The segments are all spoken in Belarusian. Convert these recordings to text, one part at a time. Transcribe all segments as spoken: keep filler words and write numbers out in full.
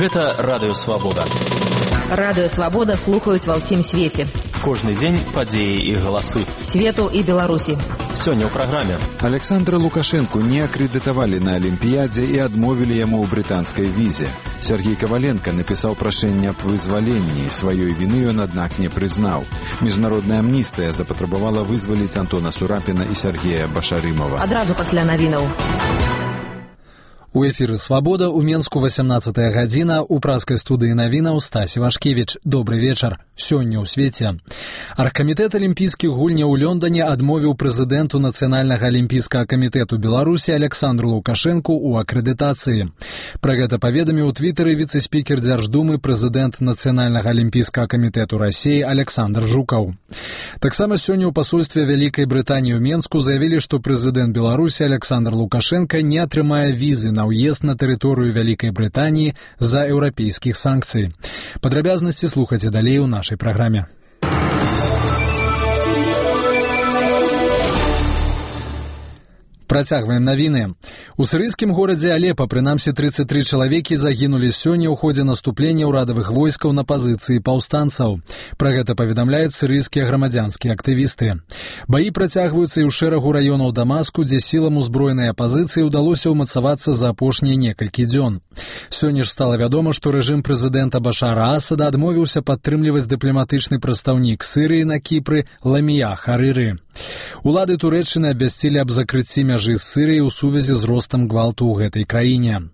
Гэта Радыё Свабода. Радыё Свабода слухаюць ва ўсім свеце. Кожны дзень падзеі і галасы. Свету і Беларусі. Сёння ў праграме. Александра Лукашенку не акрэдытавалі на Алімпіядзе і адмовілі яму ў брытанскай візе. Сергей Коваленко напісаў прашэнне аб вызваленні. Сваёй віны ён, аднак, не прызнаў. Міжнародная амністыя запатрабавала вызваліць Антона Сурапіна і Сергея Башарымова. Адразу пасля навінаў. У эфіры «Свабода» у Менску васямнаццатая гадзіна, у праскай студыі навінаў Стасі Вашкевіч. Добры вечар. Сёння ў свеце. Аргкамітэт алімпійскіх гульняў у Лондоне адмовіў прэзідэнту Нацыянальнага алімпійскага камітэту Беларусі Александру Лукашенку ў акрэдытацыі. Пра гэта паведаміў у твітары віцэ-спікер Дзярждумы, прэзідэнт Нацыянальнага алімпійскага камітэту Расіі Александр Жукаў. Таксама сёння ў пасольстве Вялікай Брытаніі ў Менску заявілі, што прэзідэнт Беларусі Александр Лукашенко не атрымае візы на ўезд на тэрыторыю Вялікай Брытаніі з-за еўрапейскіх санкцый. Падрабязнасці слухайце далей у нашай праграме. Працягваем навіны. У сірыйскім горадзе Алепа прынамсі трыццаць тры чалавекі загінулі сёння ў ходзе наступлення ўрадавых войскаў на пазіцыі паўстанцаў. Пра гэта паведамляюць сірыйскія грамадзянскія актывісты. Баі працягваюцца і ў шэрагу раёнаў Дамаску, дзе сілам узброенай апазіцыі ўдалося ўмацавацца за апошнія некалькі дзён. Сёння ж стала вядома, што рэжым прэзідэнта Башара Асада адмовіўся падтрымліваць дыпламатычны прадстаўнік Сірыі на Кіпры Ламія Харыры. Улады Турэччыны абвясцілі аб закрыцці мяжы з Сірыяй у сувязі з ростам гвалту ў гэтай краіне.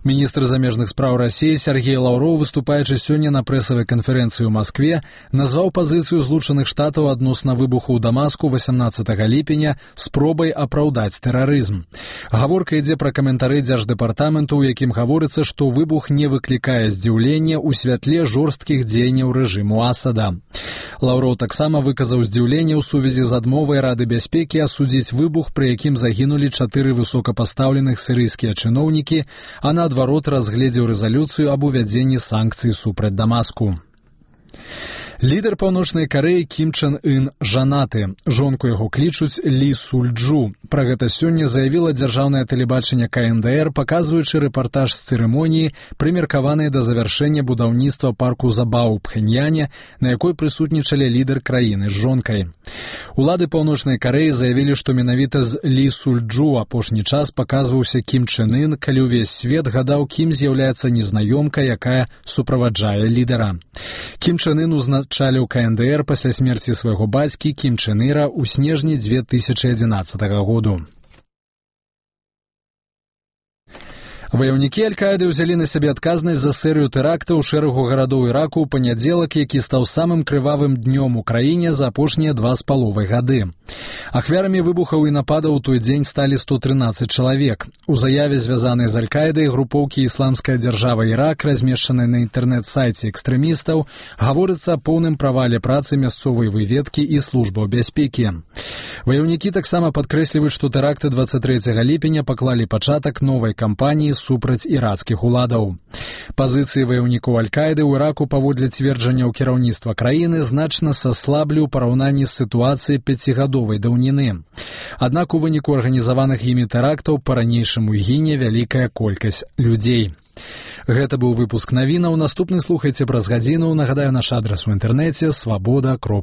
Міністр замежных спраў Расіі Сергей Лаўроў, выступаючы сёння на прэсавай канферэнцыі ў Маскве, назваў пазіцыю Злучаных Штатаў адносна выбуху ў Дамаску васямнаццатага ліпеня спробай апраўдаць тэрарызм. Гаворка ідзе пра каментары Дзярждэпартаменту, у якім гаворыцца, што выбух не выклікае здзіўлення ў святле жорсткіх дзеянняў рэжыму Асада. Лаўроў таксама выказаў здзіўленне ў сувязі з адмовай Рады бяспекі асудзіць выбух, пры якім загінулі чатыры высокапастаўленых сірыйскія чыноўнікі, а наадварот разгледзеў рэзалюцыю аб увядзенні санкцый супраць Дамаску. Лідар Паўночнай Карэі Кім Чен Ын жанаты. Жонку яго клічуць Лі Суль-Джу. Пра гэта сёння заявіла дзяржаўнае тэлебачанне Ка Эн Дэ Эр, паказваючы рэпартаж з цырымоніі, прымеркаванай да завяршэння будаўніцтва парку забаў у Пхэньяне, на якой прысутнічалі лідар краіны з жонкай. Улады Паўночнай Карэі заявілі, што менавіта з Лі Суль-Джу апошні час паказваўся Кім Чен Ын, калі ўвесь свет гадаў, кім з'яўляецца незнаёмка, якая суправаджае лідара. Кім Чен Ын узначаліў Ка Эн Дэ Эр пасля смерці свайго бацькі Кім Чен Іра ў снежні дзве тысячы адзінаццатага году. Ваяўнікі Аль-Каіды ўзялі на сябе адказнасць за серыю тэрактаў у шэрагу гарадоў Іраку ў панядзелак, які стаў самым крывавым днём у краіне за апошнія два з паловай гады. Ахвярамі выбухаў і нападаў у той дзень сталі сто трынаццаць чалавек. У заяве, звязанай з Аль-Каідай, групоўкі «Ісламская дзяржава Ірак», размешчанай на інтэрнэт-сайце экстрэмістаў, гаворыцца о поўным правале працы мясцовай выведкі і службаў бяспекі. Ваяўнікі таксама падкрэсліваюць, што тэракты дваццаць трэцяга ліпеня паклалі пачатак новай кампаніі супраць ірацкіх уладаў. Пазіцыі ваяўнікоў Аль-Каіды ў Іраку, паводле цверджанняў кіраўніцтва краіны, значна саслаблі ў параўнанні з сітуацыяй пяцігадовай даўніны. Аднак у выніку арганізаваных імі тэрактаў па-ранейшаму гіне вялікая колькасць людзей. Гэта быў выпуск навінаў. Наступны слухайце праз гадзіну. Нагадаю, наш адрас у інтэрнэце свабода кропка